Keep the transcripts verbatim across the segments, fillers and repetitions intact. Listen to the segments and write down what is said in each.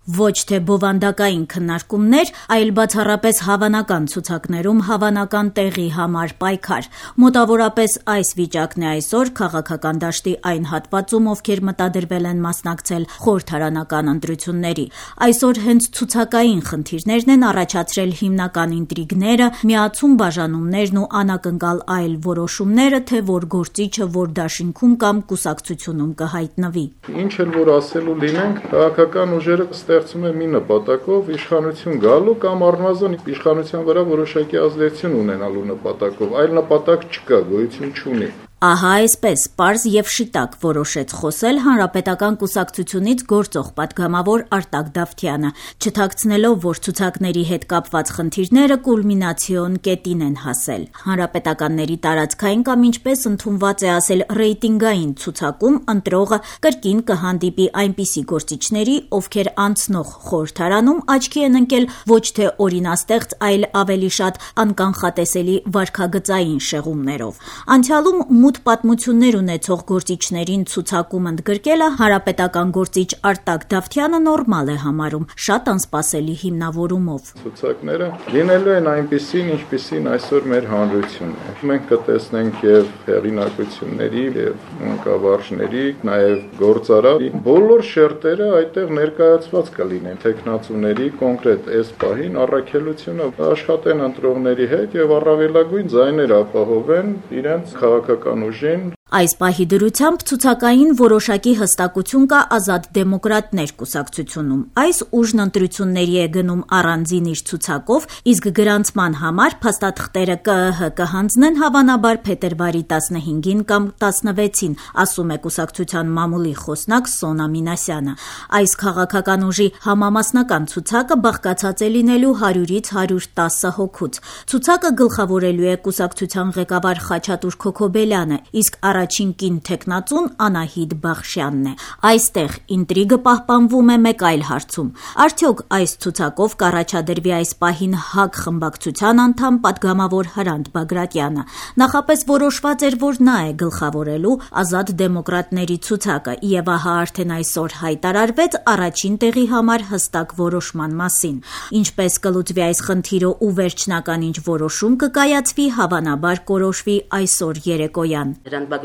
Ոչ թե բովանդակային քննարկումներ, այլ բացառապես հավանական ցուցակներում հավանական տեղի համար պայքար։ Մոտավորապես այս վիճակն է այսօր քաղաքական դաշտի այն հատվածում, ովքեր մտադրվել են մասնակցել խորհրդարանական ընտրությունների։ Այսօր հենց ցուցակային խնդիրներն են առաջացրել հիմնական ինտրիգները, միացում բաժանումներն ու անակնկալ այլ որոշումները, թե որ գործիչը որ դաշինքում կամ կուսակցությունում կհայտնվի։ Ինչ էլ որ ասելու լինենք, քաղաքական ուժերը ստեղծում է մի նպատակով իշխանություն գալու կամ առնվազն իշխանության վրա որոշակի ազդեցություն ունենալու նպատակով, այլ նպատակ չկա, գոյություն չունի։ Ահա այսպես պարզ եւ շիտակ որոշեց խոսել Հանրապետական կուսակցությունից գործող պատգամավոր Արտակ Դավթյանը, չթաքցնելով, որ ցուցակների հետ կապված խնդիրները կուլմինացիոն կետին են հասել։ Հանրապետականների տարածքային կամ ինչպես ընդունված է ասել ռեյտինգային ցուցակում ընտրողը կրկին կհանդիպի այնպիսի գործիչների, ովքեր անցնող խորհրդարանում աչքի են ընկել ոչ թե օրինաստեղծ, այլ ավելի շատ անկանխատեսելի վարքագծային շեղումներով։ Անցյալում մութ պատմություններ ունեցող գործիչներին ցուցակում ընդգրկելը հանրապետական գործիչ Արտակ Դավթյանը նորմալ է համարում, շատ անսպասելի հիմնավորումով։ Ցուցակները լինելու են այնպիսին, ինչպիսին այսօր մեր հանրությունն է։ Մենք կտեսնենք եւ հեղինակությունների եւ մանկավարժների, նաեւ գործարար բոլոր շերտերը այդտեղ ներկայացված կլինեն տեխնացուների կոնկրետ այս պահին առաքելությունը աշխատեն ընտրողների հետ եւ առավելագույն ձայներ ապահովեն իրենց քաղաքական ուժին։ Այս պահի դրությամբ ցուցակային որոշակի հստակություն կա Ազատ դեմոկրատներ կուսակցությունում։ Այս ուժն ընտրությունների է գնում առանձին իր ցուցակով, իսկ գրանցման համար փաստաթղթերը ԿԸՀ կհանձնեն հավանաբար փետրվարի տասնհինգին կամ տասնվեցին, ասում է կուսակցության մամուլի խոսնակ Սոնա Մինասյանը։ Այս քաղաքական ուժի համամասնական ցուցակը բաղկացած է լինելու հարյուրից հարյուր տասը հոգուց։ Ցուցակը գլխավորելու է կուսակցության ղեկավար Խաչատուր Քոքոբելյանը, իսկ առաջին կին թեկնածուն Անահիտ Բախշյանն է։ Այստեղ ինտրիգը պահպանվում է մեկ այլ հարցում։ Արդյոք այս ցուցակով կառաջադրվի այս պահին ՀԱԿ խմբակցության անդամ պատգամավոր Հրանտ Բագրատյանը։ Նախապես որոշված էր, որ նա է գլխավորելու Ազատ դեմոկրատների ցուցակը, եւ ահա արդեն այսօր հայտարարվեց առաջին տեղի համար հստակ որոշման մասին։ Ինչպես կլուծվի այս խնդիրը ու վերջնական ինչ որոշում կկայացվի, հավանաբար կորոշվի այսօր երեկոյան։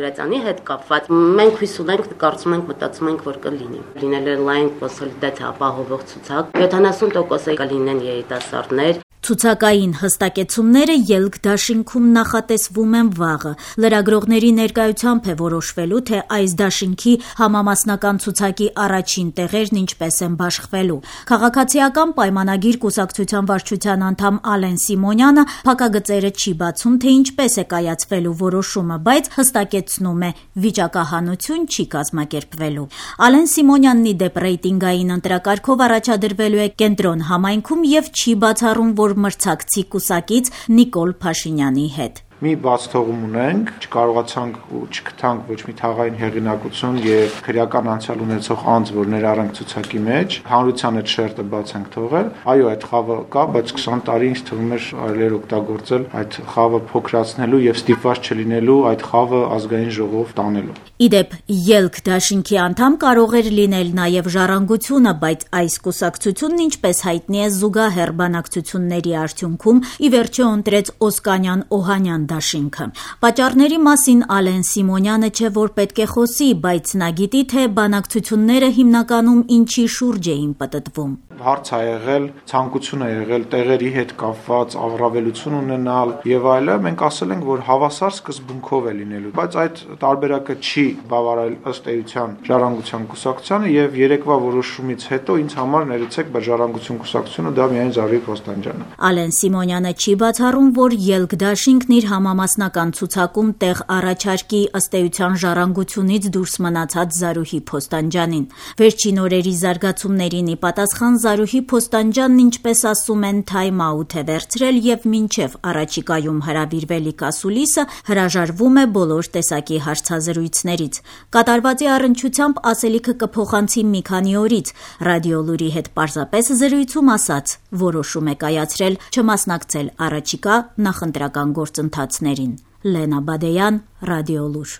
Բագրատյանի հետ կապված մենք հույս ունենք, կարծում ենք, մտածում ենք, որ կլինի։ Լինել է լայն կոնսոլիդացիա ապահովող ցուցակ, յոթանասուն տոկոս կլինեն երիտասարդներ։ Ցուցակային հստակեցումները ելք դաշինքում նախատեսվում են վաղը։ Լրագրողների ներկայությամբ է որոշվելու, թե այս դաշինքի համամասնական ցուցակի առաջին տեղերն ինչպես են բաշխվելու։ Քաղաքացիական պայմանագիր կուսակցության վարչության անդամ Ալեն Սիմոնյանը փակագծերը չի բացում, թե ինչպես է կայացվելու որոշումը, բայց հստակեցնում է՝ վիճակահանություն չի կազմակերպվելու։ Ալեն Սիմոնյանն ի դեպ ռեյտինգային ընտրակարգով առաջադրվելու է Կենտրոն համայնքում եւ չի բացառում, որ մրցակցի կուսակից Նիկոլ Փաշինյանի հետ։ Մի բաց թողում ունենք, չկարողացանք ու չգտանք ոչ մի թաղային հեղինակություն եւ քրեական անցյալ ունեցող անձ, որ ներառենք ցուցակի մեջ, հանրության այդ շերտը բաց ենք թողել։ Այո, այդ խավը կա, բայց քսան տարի ինձ թվում էր այլեր օգտագործել այդ խավը փոքրացնելու եւ ստիպված չլինելու այդ խավը ազգային ժողով տանելու։ Իդեպ ելք դաշինքի անդամ կարող էր լինել նաեւ Ժառանգությունը, բայց այս կուսակցությունն ինչպես հայտնի է զուգահեռ բանակցությունների արդյունքում ի վերջո ընտրեց Օսկանյան Օհանյան դաշինքը։ Պատճառների մասին Ալեն Սիմոնյանը չէ որ պետք է խոսի, բայց նա գիտի, թե բանակցությունները հիմնականում ինչի շուրջ էին պտտվում։ Հարց ա եղել, ցանկություն ա եղել տեղերի հետ կապված առավելություն ունենալ եւ այլը, մենք ասել ենք, որ հավասար սկզբունքով է լինելու, բայց այդ տարբերակը չի բավարարել ըստ էության Ժառանգության կուսակցությանը եւ երեկվա որոշումից հետո ինձ համար ներեցեք, բայց Ժառանգություն կուսակցությունը դա միայն Զարուհի Փոստանջյանն է։ Ալեն Սիմոնյանը չի բացառում, որ ելք դաշինքն իր համամասնական ցուցակում տեղ առաջարկի ըստ էության Ժառանգությունից դուրս մնացած Զարուհի Փոստանջյանին։ Վերջին օրերի զարգացումներին ի պատասխան Զարուհի Փոստանջյանն, ինչպես ասում են, թայմ աութ է վերցրել եւ մինչեւ առաջիկայում հրավիրվելիք ասուլիսը հրաժարվում է բոլոր տեսակի հարցազրույցներից։ Կատարվածի առնչությամբ ասելիքը կփոխանցի մի քանի օրից։ Ռադիոլուրի հետ պարզապես զրույցում ասաց, որոշում է կայացրել չմասնակցել առաջիկա նախընտրական գործընթացներին։ Լենա Բադեյան, Ռադիոլուր։